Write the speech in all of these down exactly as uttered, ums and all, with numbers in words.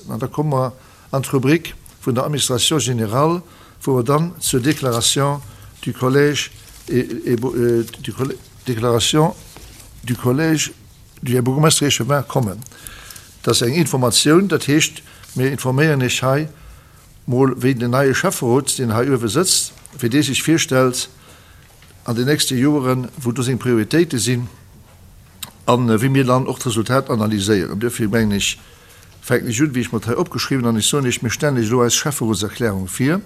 An da komme mer an d'Rubrik vun der Administration générale, wou mer dann zur Déclaration du Collège et, et, du Déclaration du Collège du Här Bourgmestre Échevin kommen. Dat ass eng Informatioun, dat heescht, mir informéieren Iech hei mol, wéi den neie Schäfferot, deen hei uewe sëtzt, wéi dee sech virstellt an den nächste Joren, wou do seng Prioritéite sinn an wéi mir dann och d'Resultat analyséieren. Duerfir mengen ech, fänken ech un, wéi ech mer et hei opgeschriwwen an ech soen Iech, mir stellen Iech elo eis Schäfferotserklärung vir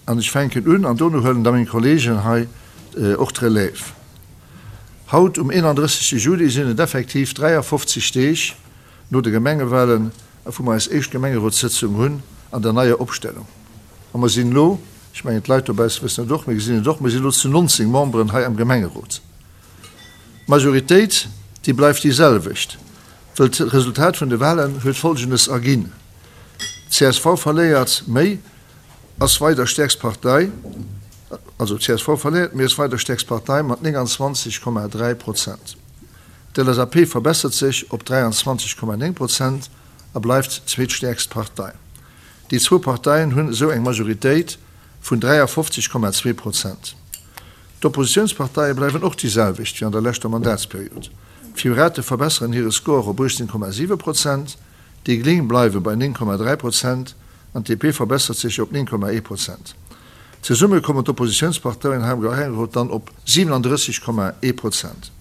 an ech fänken un an dono huelen da meng Kollegen hei och d'Relève. Haut um eenandrëssegste Juli sinn et effektiv dräiafofzeg Deeg no de Gemengewahlen, wou mer eis éischt Gemengerotssëtzung hunn an der neier Opstellung. A mer sinn elo, ech mengen d'Leit dobausse wëssen et och, mir gesinn et och, mer sinn elo zu nonzéng Memberen hei am Gemengerot. D'Majoritéit, déi bleift déi selwecht, wëll d'Resultat vun de Wahlen huet Folgendes erginn, csv verléiert méi, ass weider stäerkst Partei, also csv verléiert méi, ass weider stäerkst Partei mat nénganzwanzeg Komma dräi Prozent. D'LSAP verbessert sech op dräianzwanzeg Komma néng Prozent a bleift zweetstäerkst Partei. Déi zwou Parteien hunn esou eng Majoritéit vun dräiafofzeg Komma zwee Prozent. D'Oppositiounsparteie bleiwen och déi selwecht wéi an der leschter Mandatsperiod. D'Pirate verbesseren hire Score op uechtzéng Komma siwe Prozent, déi Gléng bleiwe bei néng Komma dräi Prozent an d'DP verbessert sech op néng Komma ee Prozent. Zesumme kommen d'Oppositiounsparteien hei am Gemengerot dann op siwenandrësseg Komma ee Prozent.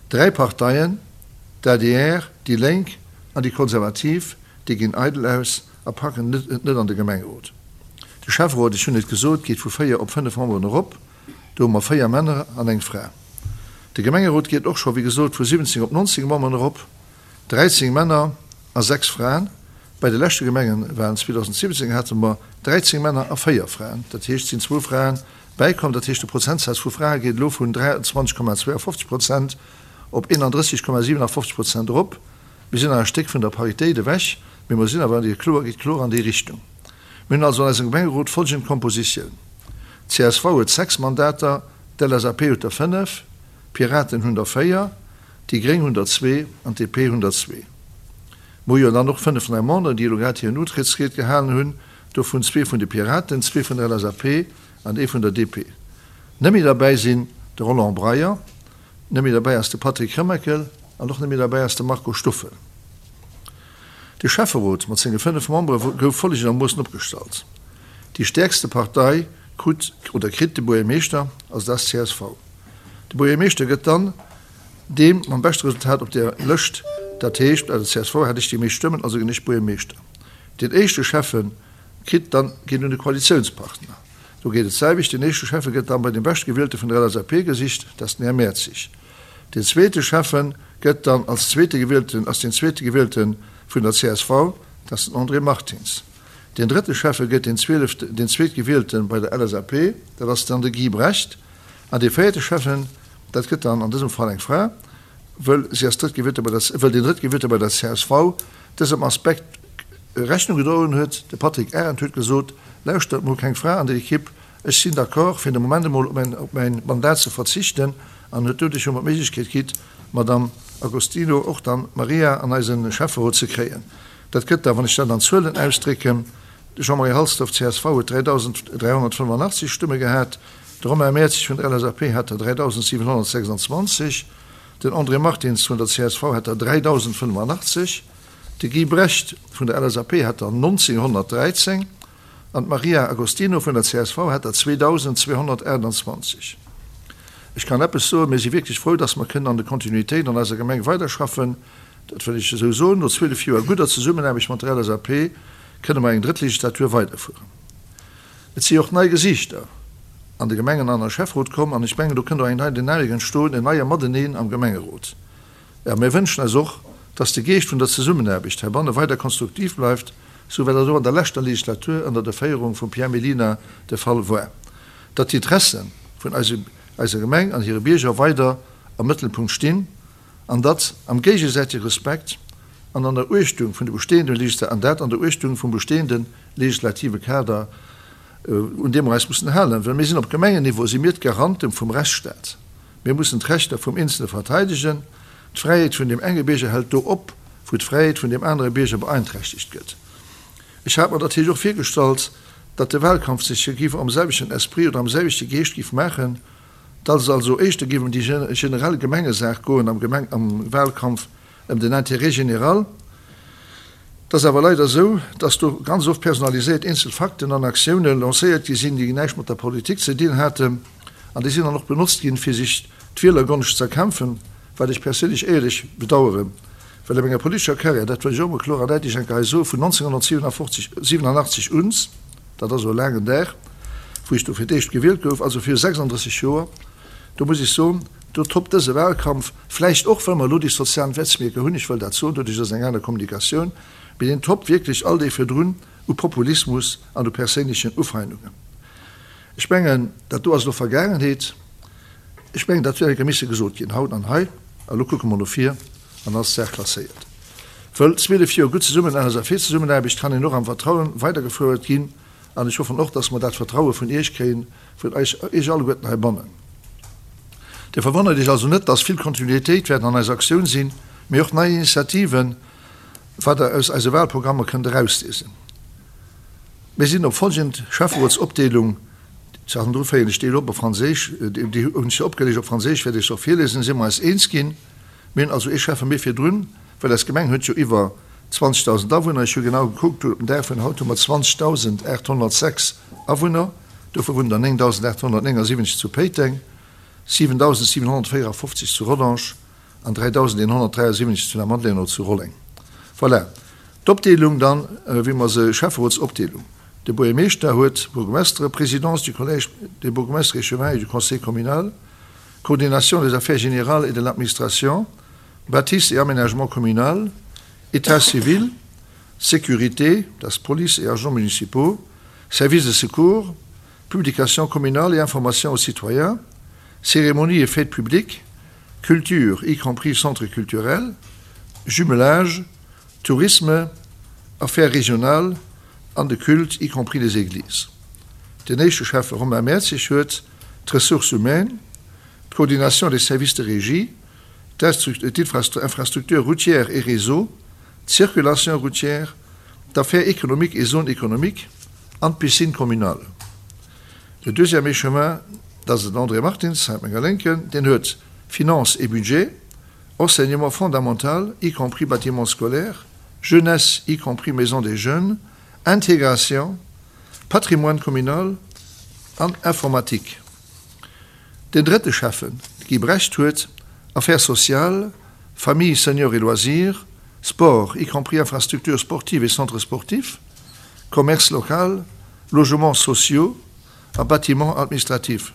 Dräi Parteien, d'ADR, déi Lénk an déi Konservativ, déi ginn eidel aus a packen et net an de Gemengerot. De Schäfferot, ech hunn et gesot, geet vu véier op fënnef Memberen erop. Do hu mer véier Männer an eng Fra. De Gemengerot geet och scho, wéi gesot, vu siwwenzéng op nonzéng Memberen erop, dräizéng Männer a sechs Fraen. Bei de leschte Gemengewalen zweedausentsiwwenzéng hate mer dräizéng Männer a véier Fraen. Dat heescht, et sinn zwou Frae bäikomm. Dat heescht, de Prozentsaz vu Frae geet elo vun dräianzwanzeg Komma zweeafofzeg Prozent op eenandrësseg Komma siwenafofzeg Prozent erop. Mir sinn nach e Stéck vun der Paritéit ewech, mee mer sinn awer, kloer, geet kloer an déi Richtung. Mir hunn also an eisem Gemengerot folgend Kompositioun, csv huet sechs Mandater, d'LSAP huet der fënnef, d'Piraten hunn der véier, déi Gréng hunn der zwee an d'DP hunn der zwee. Mer hu jo dann och fënnef nei Memberen, déi elo grad hiren Utrëttsried gehalen hunn, dovun zwee vun de Piraten, zwee vun der LSAP an ee vun der D P. Net méi derbäi sinn de Roland Breyer, net méi derbäi ass de Patrick Remakel an och net méi derbäi ass de Marco Stoffel. De Schäfferot mat senge fënnef Membere gouf follegendermoossen opgestallt, Déi stäerkste Partei krut oder kritt de Buergermeeschter, also dat ass csv. De Buergermeeschter gëtt dann deem mam beschte Resultat op der Lëscht, dat heescht bei der csv hat ech déi meescht Stëmmen, also ginn ech Buergermeeschter. Deen éischte Schäffe kritt dann, geet un de Koalitiounspartner. Do geet et d'selwecht, deen éischte Schäffe gëtt dann bei deem Beschtgewielte vun der L S A P gesicht, dat ass den Här Mertzig. Deen zweete Schäffe gëtt dann als zweete Gewielten, ass deen zweete Gewielte vun der csv, dat ass den André Martins. Deen drëtte Schäffe gëtt deen zwielefte, deen Zweetgewielte bei der L S A P, dat ass dann de Guy Brecht. An dee véierte Schäffen, dat gëtt dann an dësem Fall eng Fra, wëll si ass Drëttgewielte bei der, wëll deen Drëttgewielte bei der csv dësem Aspekt Rechnung gedroen huet. De Patrick Arendt huet gesot, Lauschtert mol, keng Fra an der Ekipp, ech sinn d'accord, fir de Moment emol op mäin, op mäin Mandat ze verzichten, an huet doduerch jo mer d'Méiglechkeet kritt, d'Madame Agostino, och dann d'Maria an eise Schäfferot ze kréien. Dat gëtt da, wann ech dat an Zuelen ausdrécken, de Jean-Marie Halsdorf, csv, huet dräidausend dräihonnertfënnefenachtzeg Stëmme gehat, de Romain Mertzig vun der L S A P hat der dräidausendsiwenhonnertsechsanzwanzeg, den André Martins vun der csv hat der dräidausendfënnefenachtzeg, de Guy Brecht vun der L S A P hat der nonzénghonnertdräizéng an d'Maria Agostino vun der csv hat der zweedausendzweehonnertaachtanzwanzeg. Ech kann eppes soen, Mir si wierklech frou, dass mer kënnen an der Kontinuitéit an eiser Gemeng weiderschaffen. Dat wëll ech esou soen. No zwielef Joer gudder Zesummenaarbecht mat der L S A P kënne mer eng drëtt Legislatur weiderfueren. Et si och nei Gesiichter an de Gemengen an a Schäfferot komm an ech mengen, do kënnt och eng nei Dynamik entstoen, en neie Mateneen am Gemengerot. A mir wënschen eis och, dass de Geescht vun der Zesummenaarbecht heibanne weider konstruktiv bleift, sou wéi dat och an der leschter Legislatur ënner der Féierung vum Pierre Mellina de Fall war, datt d'Interesse vun eiser Gemeng an hire Bierger weider am Mëttelpunkt stinn an datt am géigesäitege Respekt an an der Uechtung vun de bestehenden Legisla an dat an der Uechtung vum bestehende legislative Kader, un deem mer eis mussen halen, well mir sinn op Gemengenniveau si mir d'Garanten vum Rechtsstaat. Mir mussen d'Rechter vum Eenzele verteidegen. D'Fräiheet vun deem enge Bierger hält do op, wou d'Fräiheet vun deem anere Bierger beeinträchtegt gëtt. Ech hat mer natierlech och virgestallt, datt de Wahlkampf sech géif am selwechten Esprit oder am selwechte Geescht géif maachen, datt et also éischter géif ëm déi generell Gemengesaach goen am Gemeng am Wahlkampf, ëm den Intérêt général. Et ass awer leider esou, datt do ganz oft personaliséiert eenzel Fakten an Aktioune lancéiert gi sinn, déi näischt mat der Politik ze dinn haten, an déi sinn dann och benotzt ginn, fir sech d'Wielergonscht z'erkämpfen, wat ech perséinlech éierlech bedaueren, well a menger politescher Carrière, dat wëll ech och emol kloer an däitlech eng Kéier hei soen, vun nonzénghonnertsiewenundfofzeg siewenundachtzeg un, dat ass elo e laangen Dag, wou ech do fir d'éischt gewielt gouf, also viru sechsanddrësseg Joer, do muss ech soen, do toppt dëse Wahlkampf, vläicht och well mer elo déi sozialen Netzwierker hunn, ech wëll dat soen, doduerch ass eng aner Kommunikatioun, mee deen toppt wierklech all déi virdrun u Populismus an u perséinlechen Ufeindungen. Ech mengen, dat do ass elo Vergaangenheet. Ech mengen, dat huet eng Kéier misse gesot ginn, haut an hei. A lo kucke mer no vir an ass d'Saach klasséiert. Wëll zwielef Joer gutt zesummen LSAP-Zesummenaarbecht kann een och am Vertrauen weidergefouert ginn. An ech hoffen och, dass mer dat Vertraue vun Iech kréien, vun eis, Iech alleguerten heibannen. Dir verwonnert Iech also net, dass vill Kontinuitéit wäert an eiser Aktioun sinn, mee och nei Initiativen, wat Der aus eise Wahlprogrammer kënnt erausliesen. Mir sinn op folgend Schäfferotsopdeelung, d'Saachen dru féieren ech déi elo op op Franséisch, déi hunn ech jo opgelicht op Franséisch, wäert ech se och virliesen, si mer eis eens ginn. Mir hunn also ee Schäffe méi virdrun, well eis Gemeng huet jo iwwer zwanzegdausend Awunner. Ech hu genau gekuckt, op den Dag vun haut hu mer zwanzegdausendachthonnertsechs Awunner, dovu wunnen der néngdausendachthonnertnéngasiwwenzeg zu Péiteng, siwendausendsiewenhonnertvéierafofzeg zu Rodange an dräidausendeenhonnertdräiasiwwenzeg zu Lamadelaine oder zu Rolleng. Voilà. D'Opdeelung dann, wéi mer se, Schäfferotsopdeelung, De Buergermeeschter huet Bourgmestere, Présidence du Collège des bourgmestres échevins et du Conseil communal, Coordination des affaires générales et de l'administration, Bâtisse et aménagement communal, État civil, Sécurité, dat ass Police et agents municipaux, Services de secours, Publications communales et information aux citoyens, Cérémonies et fêtes publiques, Culture, y compris centre culturel, Jumelage, Tourisme, Affaires régionales an de Culte, y compris les églises. Den éischte Schäffe Romain Mertzig huet d'Ressources humaines, d'Coordination des services de régie, d'Infrastructures routières et réseaux, d'Circulation routière, d'Affaires économiques et zones économiques an d'Piscine communale. De deuxième échevin, dat ass den André Martins, hei op menger Lénken, deen huet Finances et budget, Enseignement fondamental, y compris bâtiments scolaires, Jeunesse, y compris maison des jeunes, Intégration, Patrimoine communal an Informatique. Den drëtte Schäffen, Guy Brecht, huet Affaires sociales, Famille, seniors et loisirs, Sport, y compris infrastructures sportives et centres sportifs, Commerce local, Logements sociaux a Bâtiments administratifs.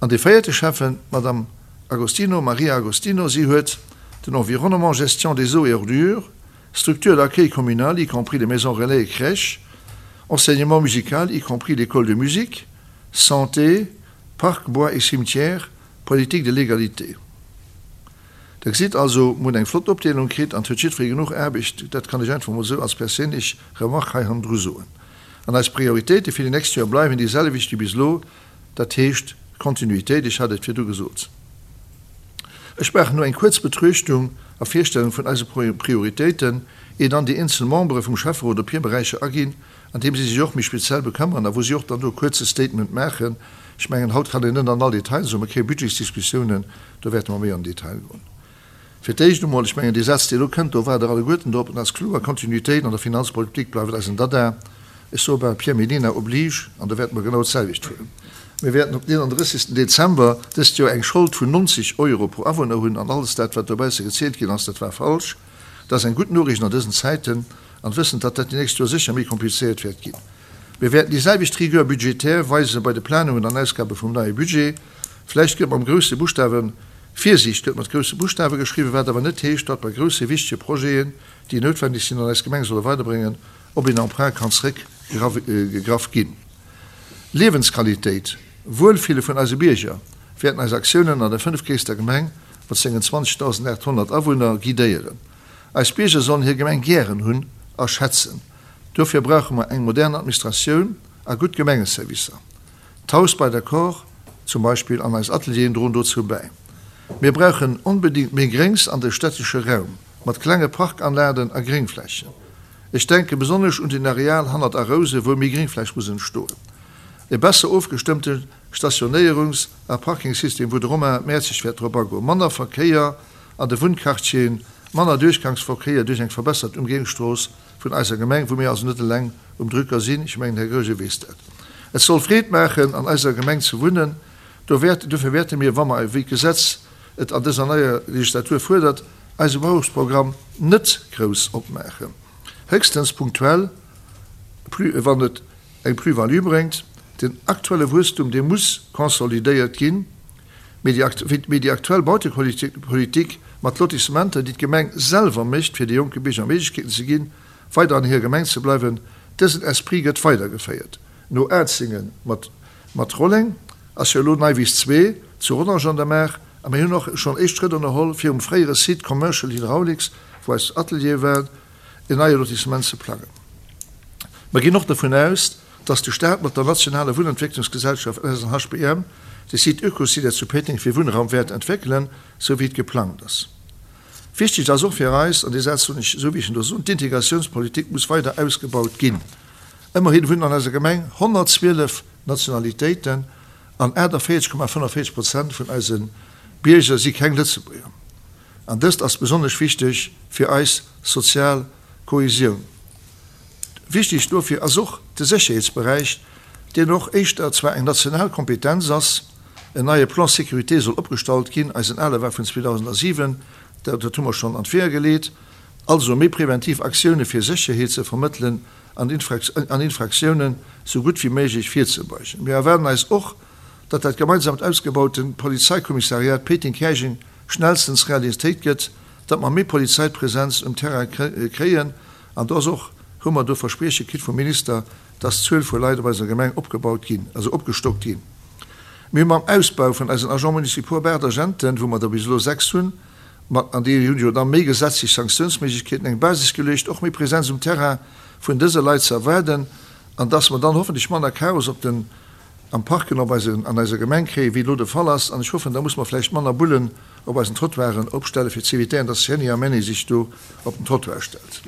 An dee véierte Schäffen, d'Madame Agostino, Maria Agostino, si huet den Environnement, Gestion des eaux et ordures, Structures d'accueil communal, y compris les maisons relais et crèches, Enseignement musical, y compris l'école de musique, Santé, Parcs, bois et cimetières, Politique de l'égalité. Der gesitt also, mir hunn eng flott Opdeelung kritt an et huet jiddweree genuch Aarbecht. Dat kann ech einfach mol esou als perséinlech Remarque hei hannendru soen. An eis Prioritéite fir déi nächst Joer bleiwen déi selwecht wéi bis elo, dat heescht Kontinuitéit, ech hat et virdu gesot. Ech maachen elo eng kuerz Betruechtung a Virstellung vun eise Prioritéiten, ier dann déi eenzel Membere vum Schäfferot op hir Beräicher aginn, an deem si sech och méi speziell bekëmmeren a wou si och dann do e kuerze Statement maachen. Ech mengen, haut kann een net an all Detail soen, mer kréie Budgetsdiskussiounen, do wäerte mer méi an den Detail goen. Fir d'éischt emol, ech mengen, dee Saz, dee elo kënnt, do waart Der alleguerten drop, en ass kloer, Kontinuitéit an der Finanzpolitik bleift eisen Dada. Ech soe bal, Pierre Mellina oblige, an do wäerte mer genau d'selwecht fueren. Mir wäerten op den eenandrëssigsten Dezember dëst Joer eng Schold vun nonzeg Euro pro Awunner hunn, an alles dat, wat dobausse gezielt ginn ass, dat war falsch. Dat ass eng gutt Noriicht an dësen Zäiten, an wëssend, datt dat déi nächst Joer sécher méi komplizéiert wäert ginn. Mir wäerten déi selwecht Rigueur budgétaire weise bei de Planungen an Ausgabe vum neie Budget. Vläicht gëtt mam grousse Buschtawe Virsiicht gëtt mat grousse Buschtawe geschriwwen, wat awer net heescht, datt bei grousse wichtege Projeten, déi noutwendeg sinn an eis Gemeng solle weiderbréngen, op een Emprunt kann zréckgegraff ginn. Liewensqualitéit, Wuelfille vun eise Bierger wäerten eis Aktiounen an der fënnefgréisster Gemeng mat sengen zwanzegdausendachthonnert Awunner guidéieren. Eis Bierger sollen hir Gemeng gären hunn a schätzen. Dofir brauche mer eng modern Administratioun a gutt Gemengeservicer. D'Haus bei der Kor zum Beispill an eis Atelieren droen dozou bäi. Mir brauchen onbedéngt méi Gréngs an de städtesche Raum. mat klenge Parkanlagen a Gréngflächen. Ech denke besonnesch un den Areal hannert Arouse, wou méi Gréngfläch muss entstoen. E besser ofgestëmmte Stationéierungs- a Parkingsystem, wou de Romain Mertzig wäert drop agoen. Manner Verkéier an de Wunnquartieren, manner Duerchgangsverkéier duerch eng verbessert Ëmgéiungsstrooss vun eiser Gemeng, wou mir also net eleng um Drücker sinn. Ech mengen, Här Goergen weess dat. Et soll Freed maachen, an eiser Gemeng ze wunnen. Do wäert, dofir wäerte mir, wa mer, wéi d'Gesetz et an dëser neier Legislatur fuerdert, eise Bebauungsprogramm net grouss opmaachen, héchstens punktuell, wann et eng Plus-value bréngt. Den aktuelle Wuesstum, dee muss konsolidéiert ginn, mee déi aktuell Bautepolitik mat Lotissementer, déi d'Gemeng selwer mécht, fir de jonke Bierger Méiglechkeeten ze ginn, weider an hirer Gemeng ze bleiwen, dësen Esprit gëtt weidergeféiert. No Atzingen mat Rolleng ass jo elo Neiwiss zwee zu Rodange an der Maach a mir hunn och schonn éischt Schrëtt ënnerholl, fir um fréiere Site Commercial Hydraulics, wou eis Ateliere waren, en neie Lotissement ze plangen. Mer ginn och dovun aus, dass de Staat mat der nationaler Wunnentwécklungsgesellschaft S N H B M de Site Oekocité zu Péiteng fir Wunnraum wäert entwéckelen, sou wéi et geplangt ass. Wichteg ass och fir eis, an dee Saz soen ech esou wéi ech en do soen, d'Integratiounspolitik muss weider ausgebaut ginn. Ëmmerhin wunnen an eiser Gemeng honnertzwielef Nationalitéiten an aachtavéierzeg Komma fënnefenvéierzeg Prozent vun eise Bierger si keng Lëtzebuerger. An dëst ass besonnesch wichteg fir eis sozial Kohesioun. Wichteg dofir ass och de Sécherheetsberäich, deen och éischter zwar eng national Kompetenz ass. En neie Plan sécurité soll opgestallt ginn, eisen ale war vun zweedausentsiwen, dat hu mer schonn an d'Weeër geleet. Also méi preventiv Aktioune fir Sécherheet ze vermëttelen an Infraktiounen sou gutt wéi méiglech virzebeugen. Mir erwaarden eis och, datt dat gemeinsamt ausgebaute Polizeikommissariat Péiteng-Käerjeng schnellstens Realitéit gëtt, datt mer méi Polizeipresenz um Terrain kréien. An do ass och, hu mer do Versprieche kritt vum Minister, datt d'Zuel vu Leit op eiser Gemeng opgebaut ginn, also opgestockt ginn. Mir hu mam Ausbau vun eisen Agents municipaux op aacht Agenten, wou mer der bis elo sechs hunn, mat, an déi hunn jo da méi gesetzlech Sanktiounsméiglechkeeten, eng Basis geluecht, och méi Presenz um Terrain vun dëse Leit ze erwaarden, an datt mer dann hoffentlech manner Chaos op den, am Parken op eisen, an eiser Gemeng kréien, wéi elo de Fall ass. An ech hoffen, da muss mer vläicht manner Bullen op eisen Trottoiren opstellen, fir ze evitéieren, datt Henni a Menni sech do op den Trottoir stellt.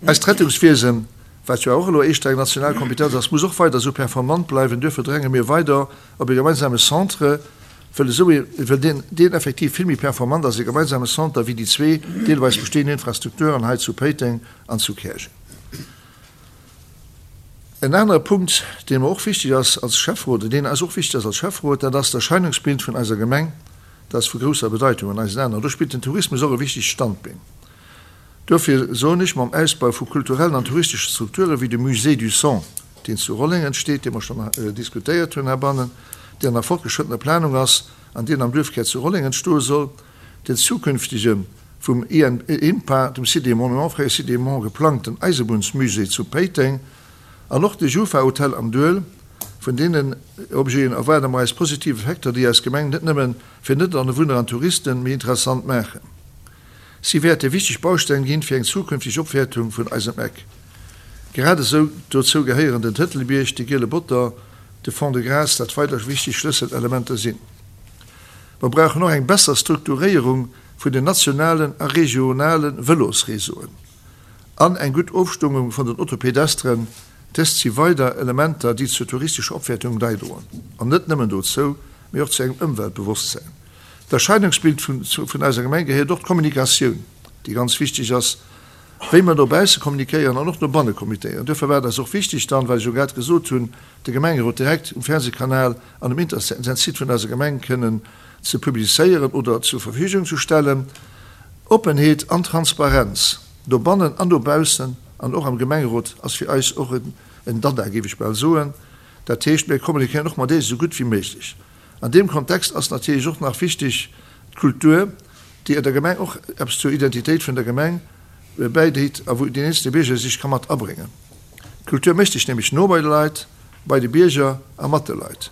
Eist Rettungswiesen, wat jo och elo éischter eng national Kompetenz ass, muss och weider esou performant bleiwen. Duerfir dränge mir weider op e gemeinsame Centre, wëll esou ee, wëll deen, deen effektiv vill méi performant ass, e gemeinsame Centre, wéi déi zwee deelweis bestehend Infrastrukturen hei zu Péiteng an zu Käerjeng. En anere Punkt, deen mer och wichteg ass als Schäfferot, deen eis och wichteg ass als Schäfferot, dat ass d'Erscheinungsbild vun eiser Gemeng. Dat ass vu grousser Bedeitung an eisen Aen. An do spillt den Tourismus och e wichtegt Standbeen. Dofir soen ech, mam Ausbau vu kulturellen an touristesche Strukture wéi de Musée du Son, deen zu Rolleng entsteet, dee mer schonn diskutéiert hunn heibannen, deen an der fortgeschrëttener Planung ass an deen am Duerfkär zu Rolleng entstoe soll, den zukünftege vum I N P A, dem Site des Monuments, fréier Site des Monuments, geplangten Eisebunnsmusée zu Péiteng an och de Jufa-Hotel am Duel. Vun deenen Objeten erwaarde mer eis positiv Effekter, déi eis Gemeng net nëmmen fir Net-Awunner an Touristen méi interessant maachen. Si wäerte wichteg Bausteng ginn fir eng zukünfteg Opwäertung vun eisem Eck. Grad esou dozou gehéieren den Tëtelbierg, de Giele Botter, de Fond de Gras, dat weider wichteg Schlësselelementer sinn. Mer brauchen och eng besser Strukturéierung vun den nationalen a regionale Vëlosreseauen an eng gutt Ofstëmmung vun den Autopedestren. Dëst si weider Elementer, déi zur touristescher Opwäertung bäidroen. An net nëmmen dozou, mee och zu engem Ëmweltbewosstsäin. D'Erscheinungsbild vun, vun eiser Gemeng gehéiert och d'Kommunikatioun, déi ganz wichteg ass, wéi mer no bausse kommunikéieren an och no banne kommunikéieren. Duerfir war et eis och wichteg dann, well ech jo grad gesot hunn, de Gemengerot direkt um Fernsehkanal an um Internetsite vun eiser Gemeng kënnen ze publizéieren oder zur Verfügung ze stellen. Oppenheet an Transparenz dobannen an dobaussen an och am Gemengerot ass fir eis och en, en Dada, géif ech bal soen. Dat heescht, mir kommunikéieren och mat deene sou gutt wéi méiglech. An deem Kontext ass natierlech och nach wichteg d'Kultur, déi der Gemeng och eppes zur Identitéit vun der Gemeng bäidréit a wou den eenzelne Bierger sech ka mat abréngen. D'Kultur mécht sech nämlech no bei de Leit, bei de Bierger a mat de Leit.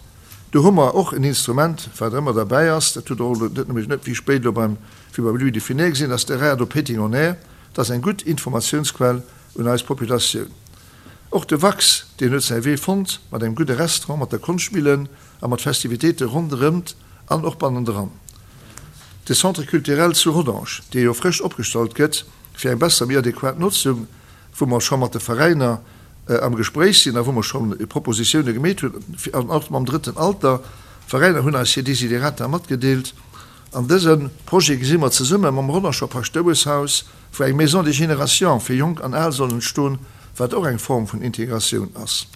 Do hu mer och en Instrument, wat ëmmer derbäi ass, dat hutt Der och net nëmme net wéi spéit elo beim, wéi beim Louis de Funès gesinn, ass de Radio Péiteng on Air. Dat ass eng gutt Informatiounsquell un eis Populatioun. Och de Wax, deen huet säi Wee fonnt mat engem gudde Restaurant, mat der Konschtmillen a mat Festivitéite ronderëmt an och bannendran. De Centre culturel zu Rodange, dee jo frësch opgestallt gëtt, fir eng besser, méi adequat Notzung, wou mer scho mat de Veräiner am Gespréich sinn a wou mer scho Propositioune gemeet hunn, an och mam Drëtten Alter. D'Veräiner hunn eis hir Desiderata matgedeelt. An dëse Projet gesi mer zesumme mam Rodanger Paschtoueschhaus, wou eng Maison des générations fir Jonk an Al soll entstoen, wat och eng Form vun Integratioun ass.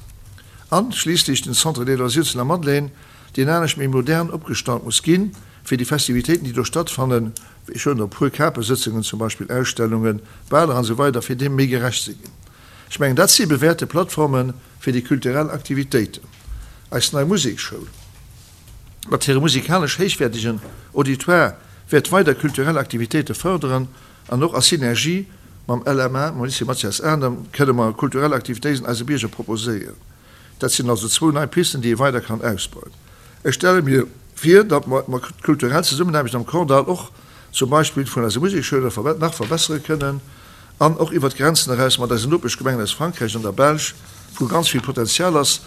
An schliisslech den Centre des loisirs zu Lamadelaine, deen anescht méi modern opgestallt muss ginn, fir déi Festivitéiten, déi do stattfannen, ech huelen der e puer, Kapesëtzungen zum Beispill, Ausstellungen, Baler an esou weider, fir deem méi gerecht ze ginn. Ech mengen, dat si bewäerte Plattforme fir déi kulturell Aktivitéiten. Eis nei Musekschoul mat hirem musikalesch héichwäertegen Auditoire wäert weider kulturell Aktivitéite fërderen an och a Synergie mam L M A, mam Lycée Mathias Adam, kënne mer kulturell Aktivitéiten eise Bierger proposéieren. Dat sinn also zwou nei Pisten, déi ee weider kann ausbauen. Ech stelle mir vir, datt mer d'kulturell Zesummenaarbecht am Kordall och zum Beispill vun eise Museksschoulen nach verbessere kënnen an och iwwert d'Grenzen eraus mat eisen Nopeschgemengen aus Frankräich an der Belsch, wou ganz vill Potenzial ass.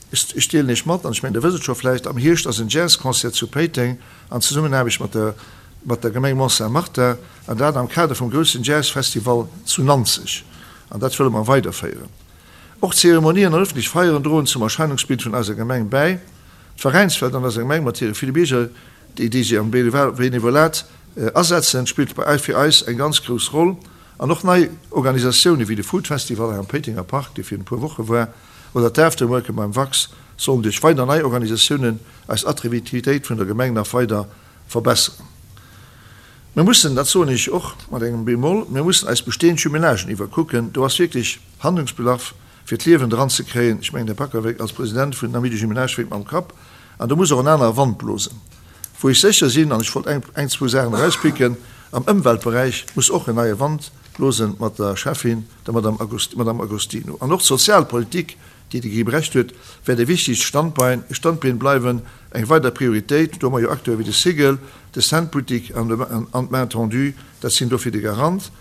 Ech deelen Iech mat, an ech mengen, Dir wësst et scho vläicht, am Hierscht ass en Jazzconcert zu Péiteng an Zesummenaarbecht mat der mat der Gemeng Mont-Saint-Martin, an dat am Kader vum groussen Jazzfestival zu Nanzeg. An dat wëlle mer weiderféieren. Och Zeremonien an ëffentlech Feieren droen zum Erscheinungsbild vun eiser Gemeng bäi. D'Veräinswelt an eiser Gemeng mat hire ville Bierger, déi déi sech am Benevolat asetzen, spillt bei fir eis eng ganz grouss Roll. An och nei Organisatioune wéi de Food Festival hei am Péitenger Park, dee virun e puer Woche war, oder d'Afterworke beim Wax sollen duerch weider nei Organisatiounen eis Attraktivitéit vun der Gemeng nach weider verbesseren. Mir mussen, dat soen ech och mat engem Bémol, mir mussen eis bestehend Jumelagen iwwerkucken. Do ass wierklech Handlungsbedarf, fir d'Liewen dran ze kréien. Ech mengen, Här Backer als President vun den Amis du Jumelage wénkt mam Kapp. An do muss och en anere Wand blosen. Wou ech sécher sinn, an ech wollt eng, eng, zwou Saachen erauspicken, am Ëmweltberäich muss och en neie Wand blosen mat der Schäffin, der Madame August, Madame Agostino. An och d'Sozialpolitik, déi de Guy Brecht huet, wäert e wichtegt Standbein, Standbeen bleiwen, eng weider Prioritéit. Do hu mer jo Acteure wéi de Cigl, de Centboutique an de, an d'Main tendue, dat sinn dofir de Garant.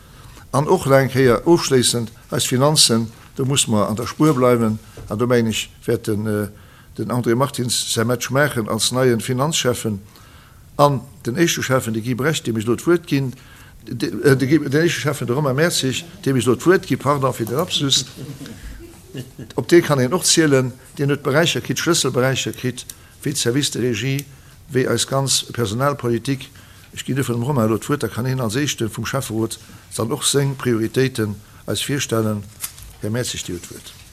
An och nach eng Kéier ofschléissend eis Finanzen, do muss mer an der Spuer bleiwen. An do mengen ech, wäert den, den André Martins säi Match maachen als neien Finanzschäffen. An den éischte Schäffen, de Guy Brecht, deem ech elo d'Wuert ginn, de Guy, den éischte Schäffen, de Romain Mertzig, deem ech elo d'Wuert ginn, pardon fir den Lapsus, op dee kann een och zielen, deen huet Beräicher kritt, Schlësselberäicher kritt, wéi d'Service de régie, wéi eis ganz Personalpolitik. Ech ginn duerfir dem Romain elo d'Wuert, da kann hien als Éischte vum Schäfferot dann och seng Prioritéiten eis virstellen. Här Mertzig, Dir hutt d'Wuert.